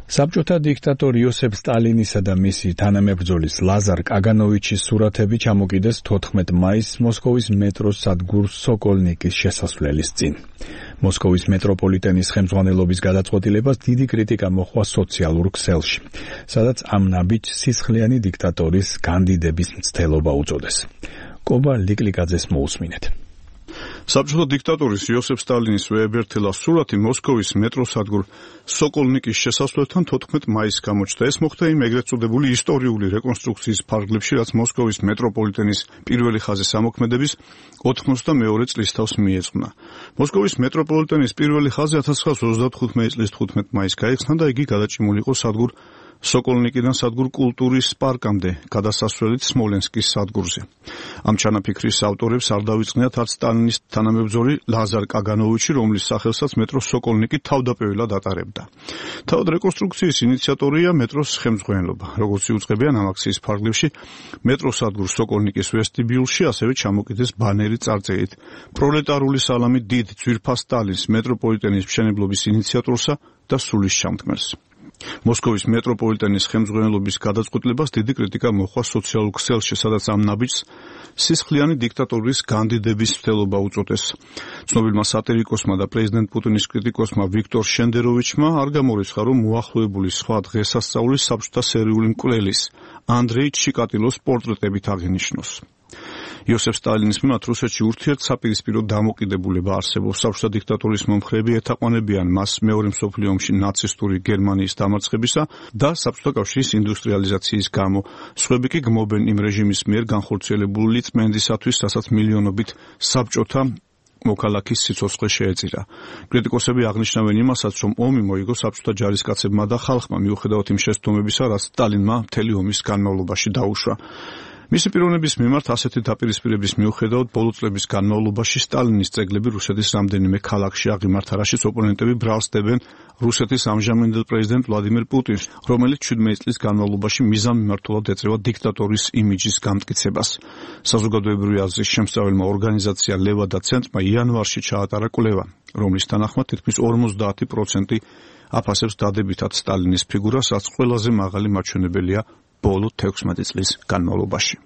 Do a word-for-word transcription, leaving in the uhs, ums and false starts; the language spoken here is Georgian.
საბჭოთა დიქტატორ იოსებ სტალინისა და მისი თანამებრძოლის ლაზარ კაგანოვიჩის სურათები ჩამოკიდეს თოთხმეტ მაისს მოსკოვის მეტროს სადგურ სოკოლნიკის შესასვლელის წინ. მოსკოვის მეტროპოლიტენის ხელმძღვანელობის გადაწყვეტილებას დიდი კრიტიკა მოჰყვა სოციალურ ქსელში, სადაც ამ ნაბიჯს სისხლიანი დიქტატორის კანდიდების მცდელობა უწოდეს. კობა ლიკლიკაძეს მოусმინეთ. საბჭოთა დიქტატორის იოსებ სტალინის ვეებერთელა სურათი მოსკოვის მეტროს სადგურ სოკოლნიკის შესასვლელთან თოთხმეტ მაისს გამოჩნდა. ეს მოხდა იმ ეგრეთ წოდებული ისტორიული რეკონსტრუქციის ფარგლებში, რაც მოსკოვის მეტროპოლიტენის პირველი ხაზის ამოქმედების ოთხმოცდამეორე წლის თავს მიეძღვნა. მოსკოვის მეტროპოლიტენის პირველი ხაზი ათას ცხრაასი ოცდათხუთმეტი წლის თხუთმეტ მაისს გაიხსნა და იგი გადაჭიმული იყო სადგურ სოკოლნიკიდან სადგურ კულტურის პარკამდე, გადასასვლელით სმოლენსკის სადგურზე. ამ ჩანაფიქრის ავტორებს არ დავიწყნიათ არც სტალინის თანამებრძოლი ლაზარ კაგანოვიჩი, რომლის სახელსაც მეტროს სოკოლნიკი თავდაპირველად ატარებდა. თავად რეკონსტრუქციის ინიციატორია მეტროს ხელმძღვანელობა. როგორც იუწყებიან ამ აქციის ფარგლებში, მეტროს სადგურ სოკოლნიკის ვესტიბიულში ასევე ჩამოკიდეს ბანერი წარწერით პროლეტარული სალამი დიდ ძვირფას სტალინს, მეტროპოლიტენის მშენებლობის ინიციატორსა და სულის ჩამდგმელს. მოსკოვის მეტროპოლიტენის ხელმძღვანელობის გადაწყვეტილებას დიდი კრიტიკა მოჰყვა სოციალურ ქსელში, სადაც ამ ნაბიჯს სისხლიანი დიქტატორის კანდიდების მცდელობა უწოდეს. ცნობილმა სატირიკოსმა და პრეზიდენტ პუტინის კრიტიკოსმა ვიქტორ შენდეროვიჩმა არ გამორიცხა, რომ მოახლოებული სხვა დღესასწაულის საბჭოთა სერიული მკვლელის ანდრეი ჩიკატილოს პორტრეტებით აღინიშნოს. იოსებ სტალინის მიმართ რუსეთში ურთიერთსაპირისპირო დამოკიდებულება არსებობს. საბჭოთა დიქტატორის მომხრეები ეთაყვანებიან მას მეორე მსოფლიო ომში ნაცისტური გერმანიის დამარცხებისა და საბჭოთა კავშირის ინდუსტრიალიზაციის გამო. სხვები კი გმობენ იმ რეჟიმის მიერ განხორციელებული წმენდისათვის, რასაც მილიონობით საბჭოთა მოქალაქის სიცოცხლე შეეწირა. კრიტიკოსები აღნიშნავენ იმასაც, რომ ომი მოიგო საბჭოთა ჯარისკაცებმა და ხალხმა, მიუხედავად იმ შეცდომებისა, რაც სტალინმა მთელი ომის განმავლობაში დაუშვა. მისი პიროვნების მიმართ ასეთი დაპირისპირების მიუხედავად ბოლო წლების განმავლობაში სტალინის ძეგლები რუსეთის რამდენიმე ქალაქში აღიმართა, რაშიც ოპონენტები ბრალსდებენ რუსეთის ამჟამინდელ პრეზიდენტ ვლადიმერ პუტინს, რომელიც შვიდმეტი წლის განმავლობაში მიზანმიმართულად ეწევა დიქტატორის იმიჯის გამტკიცებას. საზოგადოებრივი აზრის შემსწავლელმა ორგანიზაცია ლევადა ცენტრმა იანვარში ჩაატარა კვლევა, რომლის თანახმად თითქმის ორმოცდაათი პროცენტი აფასებს დადებითად სტალინის ფიგურას, რაც ყველაზე მაღალი მაჩვენებელია ბოლო თექვსმეტი წლის განმავლობაში.